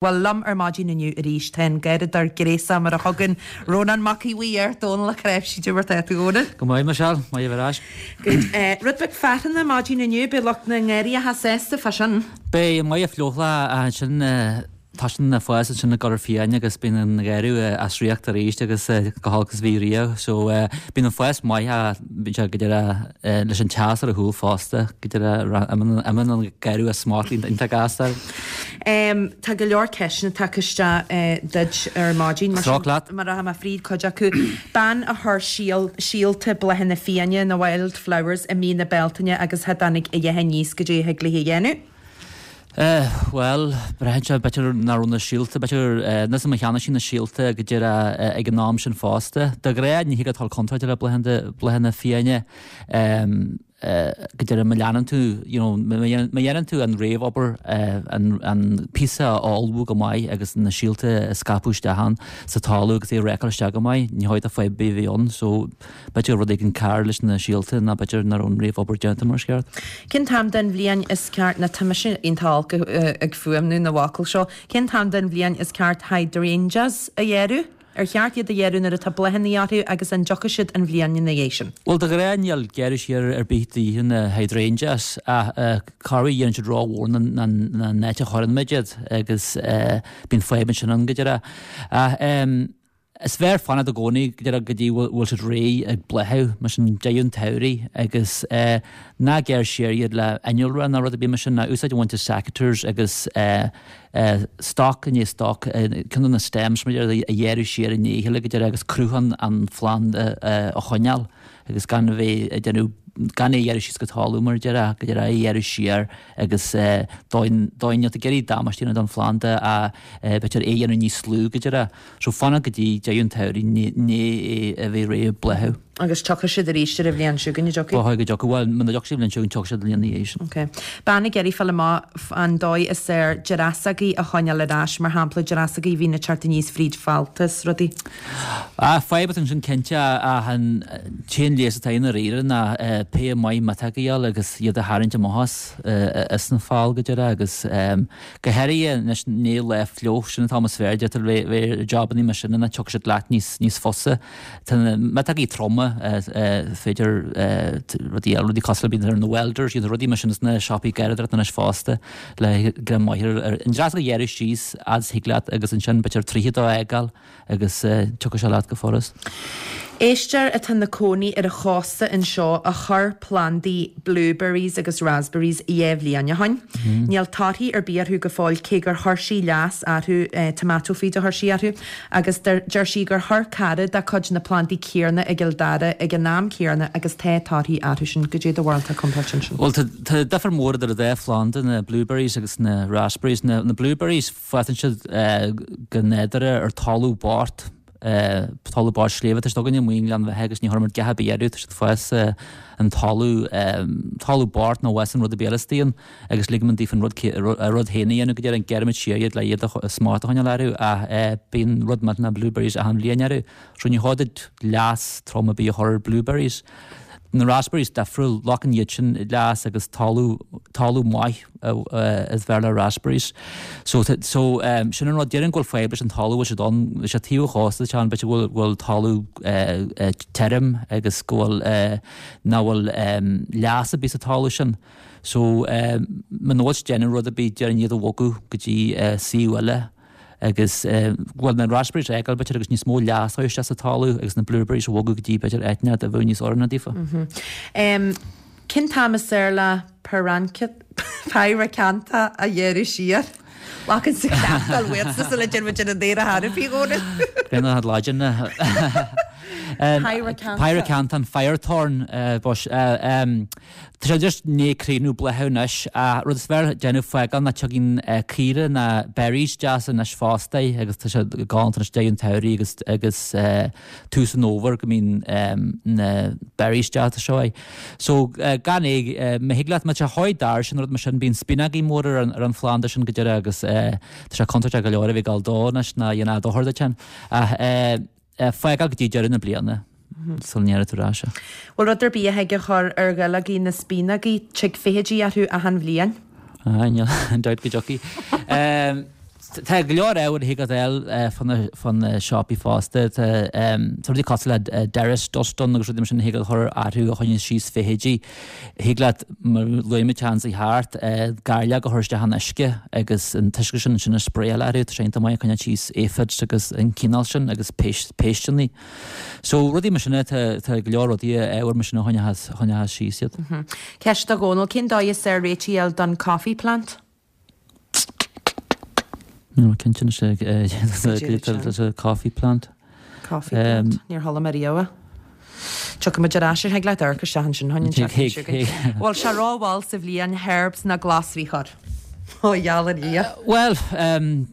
Bhuel, liom ar maidin inniu arís tá an garradóir gréasach mar a thugann Rónán Mac Aodha Bhuí air, Dónal Ó Cnáimhsí. Cad é mar tá tú, a Dhónaill? Go maith, Michelle. Maith a bheith ar ais. Good. Rud beag fearthainne maidin inniu, beidh lucht na ngarraíocha sásta fá sin. Beidh, maith an fliuchlá ansin, toisíonn an fás ansin ag dul ar fiáin agus bíonn an gharradh as riocht arís agus go holc is a bhí riamh. So bíonn an fás maith ach bíonn sé go deireadh leis an teas ar a chúl fosta, go deireadh imíonn an garradh as smacht iontach gasta. Tá go leor ceisteanna tagtha isteach duit ar maidin, mar sin rachaidh mé fríd cuid acu. Bean a chuir síolta bláthanna fiáine, na wild flowers, i mí na Bealtaine agus cha dtáinig a dhath aníos, goidé a thig léi a dhéanamh? Bhuel, braitheann sé, b'fhéidir nach raibh na síolta, b'fhéidir, níl 's a'm ar cheannaigh sí na síolta go díreach ag an am sin fosta. De ghnáth ní thig leat dul contráilte le bláthanna fiáine. go díreach má leanann tú, you know, má dhéanann tú an réamhobair, an píosa a ullmhú go maith agus na síolta a scaipeadh isteach ann sa talamh agus é a rácáil isteach go maith, ní dóigh duit fadhb ar bith a bheith ann. So, b'fhéidir rud éigin cearr leis na síolta nó b'fhéidir nach raibh an réamhobair déanta mar is ceart. Cén t-am den bhliain is ceart, nó tá mise iontach olc ag fuaimniú na bhfocal seo, cén t-am den bhliain is ceart hydrangeas a ghearradh? Ar cheart iad a ghearradh nuair atá bláthanna orthu agus an dtiocfaidh siad an bhliain ina dhiaidh sin? Bhuel, de ghnáth níl gearradh siar ar bith de dhíth ar na hydrangeas ach corruair dhéanann siad rómhór ná an áit a chuireann muid iad agus bíonn fadhb ansin ann go díreach. Ach is fearr fanacht i gcónaí go díreach go dtí bhfuil siad réidh ag bláthú, mar sin deireadh an tsamhraidh agus ná gearr siar iad le innealra ná rud ar bith mar sin, ná úsáid a bhaint as secateurs agus stoc i ndiaidh stoc, ceann de na stems mar a déarfá a ghearradh siar i ndiaidh a chéile go deireadh agus cruth an phlanda a choinneáil agus gan a bheith ag déanamh, gan é a ghearradh síos go talamh mar a déarfá, go deireadh é a ghearradh siar agus dóigh, dóigh níl tú ag iarraidh damáiste a dhéanamh don phlanda ach b'fhéidir é a dhéanamh níos lú go deireadh. So fanacht go dtí deireadh an tsamhraidh i ndiaidh é a bheith réidh ag bláthú. Agus tiocfaidh siad arís ar an bhliain seo chugainn, an dtiocfaidh? Ba chóir go dtiocfaidh. Bhuel, muna dtiocfaidh siad an bhliain seo chugainn, tiocfaidh siad an bhliain ina dhiaidh sin. Ok. Bean ag iarraidh fáil amach an dóigh is fearr dreasógaí a choinneáil ar ais, mar shampla dreasógaí a bhíonn ag teacht aníos fríd fálta is rudaí. Ah, fadhb atá ansin cinnte ach an t-aon leigheas atá i ndáiríre ná péire maith miotóg a fháil agus iad a tharraingt amach as, as an fál go deireadh agus go háirithe anois i ndiaidh lá fliuch, sin an t-am is fearr, deirtear bheith ar jabannaí mar sin ina tiocfaidh siad leat níos, níos fusa. Tá na miotógaí troma, féidir rudaí eile, rudaí cosúil le bíonn ar na welders, iad rudaí mar sin sna siopaí garraíodóireachta anois fosta le greim maith ar an dreasóg a ghearradh síos fhad is thig leat agus ansin b'fhéidir 32 a fhágáil agus tiocfaidh sé leat go furast. Éisteoir atá ina cónaí ar an chósta anseo a chuir plandaí blueberries agus raspberries 2 bhliain ó shoin. Níl torthaí ar bith orthu go fóill cé gur chuir sí leas orthu, tomato feed a chuir sí orthu. Agus deir sí gur chuir cara dá cuid na plandaí céarna i gCill Dara ag an am céarna agus tá torthaí orthu sin. Goidé do bharúil compráid ansin? Bhuel, tá difear mór idir an dá phlanda, na blueberries agus na raspberries. Na blueberries, fásann siad go nádúrtha ar talamh bocht, talamh bocht sléibhe. Tá siad againne amuigh i nGleann Bheatha agus ní chuirimid a dhath ar bith orthu, tá siad ag fás an talamh, talamh bocht nach bhfásann rud ar bith eile istigh ann. agus ligimid daofa an rud a rud féin a dhéanamh go deireadh, gearraimid siar iad le iad a smacht a choinneáil orthu ach bíonn rud millteanach blueberries achan bhliain orthu. So ní chóir duit leas trom ar bith a chur ar blueberries. Na raspberries difriúil, glacann iad sin leas agus talamh talamh maith is fearr le raspberries. So so sin an rud, déarfainn go bhfuil fadhb leis an talamh a bhfuil siad ann, bhí sé taobh an chósta ann, b'fhéidir go bhfuil go bhfuil talamh tirim agus go bhfuil nach bhfuil leas ar bith sa talamh sin. So, muna bhfuil siad ag déanamh rud ar bith, déarfainn iad a bhogadh go dtí suíomh eile agus, bhuel, na raspberries a fhágáil b'fhéidir agus níos mó leas a chur isteach sa talamh agus na blueberries a bhogadh go dtí b'fhéidir áit a bheadh níos oiriúnaí daofa. Cén t-am is fearr le pyracantha a ghearradh siar? Glacann sa cleachtadh uaitse sula dtéann muid ar an aer a thairfí, a Dhónaill. Bíonn Laidin. Pyracantha. Pyracantha, an firethorn. Tá sé just i ndiaidh críochnú bláthú anois ach rud is fearr déanamh fágáil ná tiocfaidh caora na berries deasa anois fosta agus tá sé galánta anois deireadh an tsamhraidh agus agus tús an fhómhair go mbíonn na berries deasa seo air. So gan é, má thig leat, má tá sé chomh dair sin rud mar sin bíonn spíonógaí mór ar an ar an phlanda sin go deireadh agus tá sé contúirteach go leor a bheith ag gabháil dó anois ná dhéanfadh dochar duit féin ach fágáil go dtí deireadh na bliana. sula ngearrfaidh tú ar ais é. Bhfuil rud ar bith a thig a chur ar dhuilleogaí na spíonógaí, tig feithidí orthu achan bhliain. Ah, níl aon dabht go dtiocfaidh. Tá go leor ábhair a thig leat a fháil fá na siopaí fosta. Tá rudaí cosúil le derris dust ann agus rudaí mar sin a thig leat a chur orthu a choinníonn síos feithidí. Thig leat, mar a luaigh muid ansan thart, gairleog a chur isteach in uisce agus an t-uisce sin ansin a spraeáil orthu. Tá sé iontach maith ag coinneáil síos aphids agus an cineál sin agus péisteanna. So rudaí mar sin, tá go leor rudaí, ábhair mar sin a choinneochas síos iad. Ceist do Dhónal, cén dóigh is fearr réitigh a fháil don coffee plant? Níl mé cinnte anois é coffee plant. Coffee plant. Níor chuala mé riamh é. Tiocfaidh muid ar ais air, thig leat amharc isteach ansin chugainn an tseachtain seo chugainn. Bhfuil sé rómhall sa bhliain herbs ná glasraí a chur? Ó gheall ar Dhia. Bhuel,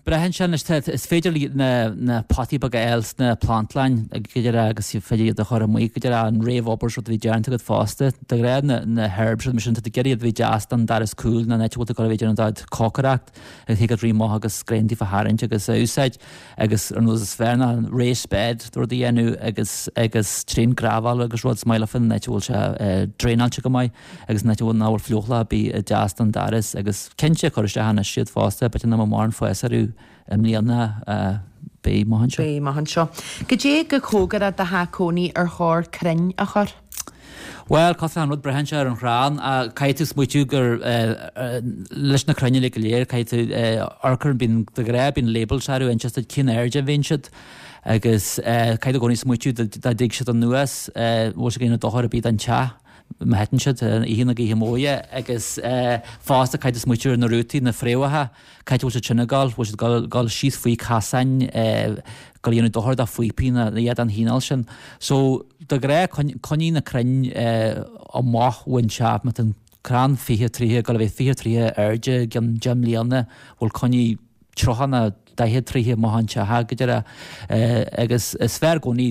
braitheann sé anois, is féidir na potaí beaga a fháil sna plantlainn go díreach agus is féidir iad a chur amuigh go díreach an réamhobair is rud a bhí déanta agat fosta. De ghnáth na herbs rud mar sin, tá tú ag iarraidh iad a bheith deas don doras cúil nó an áit a bhfuil tú ag dul a bheith ag déanamh do chócaireacht agus thig leat rith amach agus grain díobh a tharraingt agus a úsáid agus an rud is fearr ná raised bed rud a dhéanamh agus agus trín gravel agus rud is maith leofa an áit a bhfuil sé draenáilte go maith agus an áit a bhfuil nach bhfuil fliuchlach ar bith deas don doras agus cinnte cur isteach anois iad fosta b'fhéidir nach mbeadh mórán fás orthu i mbliana beidh amach anseo. Beidh amach anseo. Goidé go cóngarach do theach cónaí ar chóir crainn a chur? Bhuel, cosúil an rud braitheann sé ar an chrann. Caithfidh tú smaoitiú gur leis na crainn uilig go léir, caithfidh tú amharc ar, bíonn, de ghnáth bíonn labels orthu, inseos duit cén airde a bhíonn siad agus caithfidh tú i gcónaí smaoitiú dá dtig siad anuas, bhfuil sé ag déanamh dochar ar bith don teach má thiteann siad, oíche na gaoithe móire agus fosta caithfidh tú smaoitiú ar na rútaí, na fréamhacha. Cá háit a bhfuil siad sin ag dul? Bhfuil siad ag dul síos faoi casáin, ag dul a dhéanamh dochar do phíopaí nó a dhath den chineál sin? So, de ghnáth, coinnigh na crainn amach ón teach. Má tá an crann 20, 30, ag dul a bheith 20, 30 airde i gcionn 10 mbliana, bhuel coinnigh 30 nó 40, 30 amach ón teach, go díreach. Agus is fearr i gcónaí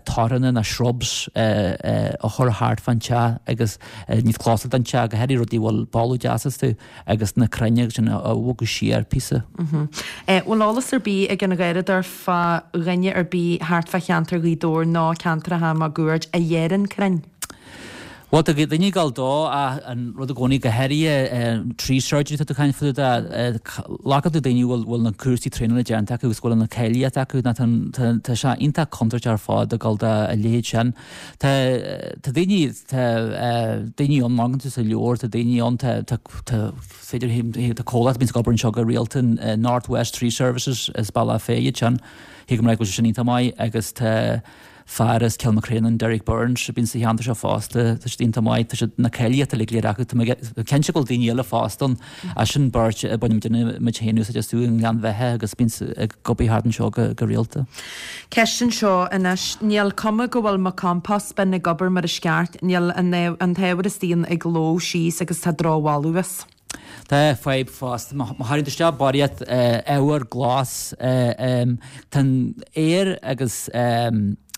toranna nó shrubs a chur thart fán teach agus níos clósal don teach, go háirithe rudaí a bhfuil boladh deas astu. agus na crainn sin a bhogadh siar píosa. Bhfuil eolas ar bith ag an gharradóir fá dhuine ar bith thart fá cheantar Ghaoth Dobhair nó ceantracha máguaird a ghearrann crainn? Bhuel, tá daoine ag dul dó ach an rud i gcónaí, go háirithe tree surgery atá tú ag caint fá dtaobh de, glacann tú daoine a bhfuil na cúrsaí traenála déanta acu agus go bhfuil an cáilíocht acu nó tá sé iontach contúirteach ar fad ag dul do a leithéid sin. Tá tá daoine tá daoine ann, má amharcann tú sa leabhar, tá daoine ann, tá tá tá féidir tá comhlacht a bhíonns ag obair anseo go rialta, North West Tree Services as Bealach Féich iad sin, thig liom a rá go bhfuil sé sin iontach maith agus tá fear as Cill na Craonáin, Derek Burns, a bhíonn sa cheantar seo fosta, tá siad iontach maith, tá siad na cáilíochta uilig go léir acu, tá mé cinnte go bhfuil daoine eile fosta ann As sin beirt a baineann muid féin úsáid astu i nGleann Bheatha agus bíonn ag obair thart anseo go rialta. Ceist anseo anois, níl cuma go bhfuil mo compost bin ag obair mar is ceart, níl an t-ábhar istigh ann ag lobhadh síos agus tá drochbholadh as. Tá fadhb fosta, má chuireann tú isteach barraíocht ábhar glas, tá an aer agus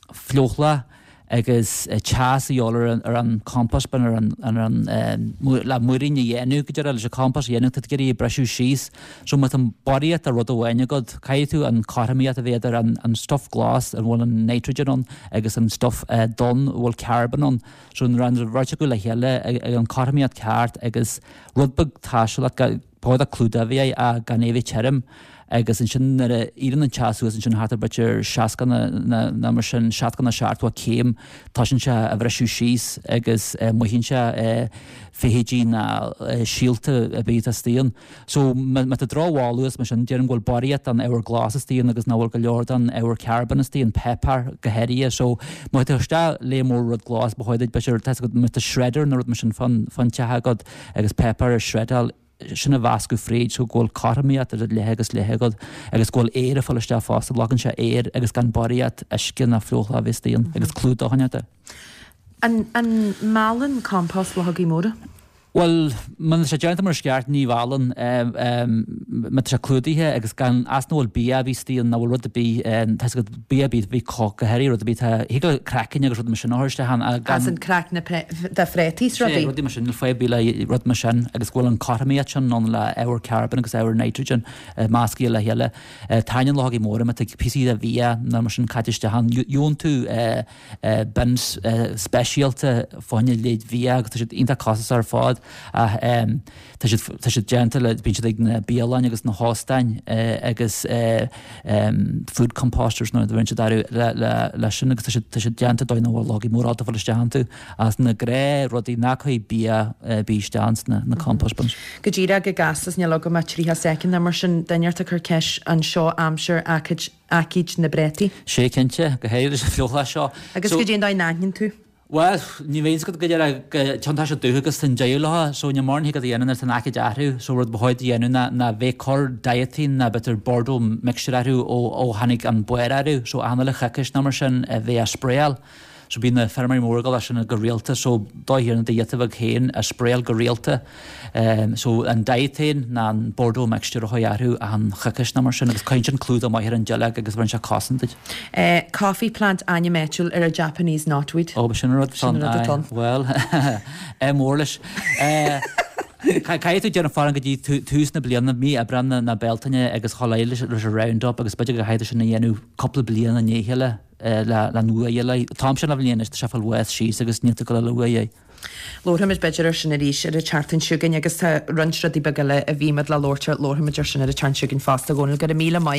fliuchlach agus teas a dhíobháil ar an compost bin ar an le múirín a dhéanamh go deireadh leis an compost a dhéanamh tá tú ag iarraidh é a briseadh síos so má tá barraíocht de rud amháin agat caithfidh tú an cothromaíocht a bheith idir an an stuff glas a bhfuil an nitrogen ann agus an stuff donn a bhfuil carbon ann so nuair an bheirt acu le chéile ag an cothromaíocht ceart agus rud beag taistealach Ba chóir do clúdach a bheith air ach gan é a bheith tirim agus ansin nuair a éiríonn an teas suas ansin thart ar b'fhéidir 60 nó mar sin, 60 nó 70 céim, tosaíonn sé a bhriseadh síos agus mothaíonn sé feithidí nó síolta ar bith atá istigh ann. So má tá drochbholadh as mar sin, déarfainn go bhfuil barraíocht den ábhar glas istigh ann agus nach bhfuil go leor den ábhar carbon istigh ann, peipear go háirithe. So má tá isteach lear mór rud glas, ba chóir duit b'fhéidir, tá a fhios agat, má tá shredder nó rud mar sin fán teach agat, agus páipéar a shredáil, sin a mheascadh fríd so go bhfuil cothromaíocht idir leith agus leith agat agus go bhfuil aer ag fáil isteach fosta, logann sé aer agus gan barraíocht uisce ná fliuchlach a bheith istigh ann agus clúdach a choinneáil air. An meallann compost luchógaí móra? Bhuel, má tá sé déanta mar is ceart, ní mheallann. Má tá sé clúdaithe agus gan as nach bhfuil bia ar bith istigh ann, nach bhfuil rud ar bith, tá a fhios agat, bia ar bith, bhí go háirithe rud ar bith, tá, thig le craicinn agus rud mar sin a chur isteach ann ach gan. As an craicne de phréataí is rudaí. Sea, rudaí mar sin, níl fadhb ar bith le rud mar sin agus go bhfuil an cothromaíocht sin ann le ábhar carbon agus ábhar nitrogen meascaithe le chéile. Taitníonn luchógaí móra má tá píosaí de bhia nó mar sin caite isteach ann. Gheobhann tú bins speisialta fá choinne leid bhia agus tá siad iontach costasach ar fad. Ach tá siad, tá siad déanta le, bíonn siad ag na bialanna agus na hóstáin agus food composters nó bíonn siad orthu le, le, le sin agus tá siad, tá siad déanta dóigh nach bhfuil logaí mórálta ag fáil isteach iontu. As na gnáthrudaí nach gcuirfidh bia ar bith isteach ins na compost bins. Go díreach go gasta is níl agam ach 30 soicind nó mar sin, duine ort ag cur ceist an seo aimsir aicíd aicíd na bpréataí. Sé cinnte, go háirithe leis an fliuchlá seo. Agus goidé an dóigh a n-aithníonn tú. Bhuel, ní bheidh fhios agat go deireadh go cionn tá sé dubh agus tá an deireadh leo, so níl mórán thig leat a dhéanamh nuair atá an aicíd orthu, so rud ba chóir a dhéanamh ná ná bheith ag cur Dithane ná b'fhéidir Bordeaux mixture orthu ó ó tháinig an barr orthu, so achan uile choicís nó mar sin a bheith á spraeáil. So bíonn na feirmeoirí móra ag dul as sin go rialta so dóigh thiar na do ghiota bheag féin a spraeáil go rialta. So an Dithane ná an Bordeaux mixture a chur orthu achan choicís nó mar sin agus cuireann sin clúdach maith ar an duilleog agus bheireann sé cosaint duit. Coffee plant ainm áitiúil ar an Japanese knotweed. Ó, b'shin an rud atá ann. Aye, bhuel, ádh mór leis. Caithfidh tú déanamh faireachán go dtí tús na bliana, mí Aibreán nó Bealtaine agus chomh leis an Roundup agus b'fhéidir go gcaithfidh tú sin a dhéanamh cúpla bliain i ndiaidh a chéile. le luath eile. An t-am sin de bhliain anois, tá sé ag fáil bháis síos agus níl tú ag dul a luath é. Labharfaimid b'fhéidir ar sin arís ar an tseachtain seo chugainn agus tá roinnt rudaí beaga eile a bhí muid le labhairt ar, labharfaimid ar sin ar an tseachtain seo chugainn fosta, a Dhónaill. Go raibh míle maith.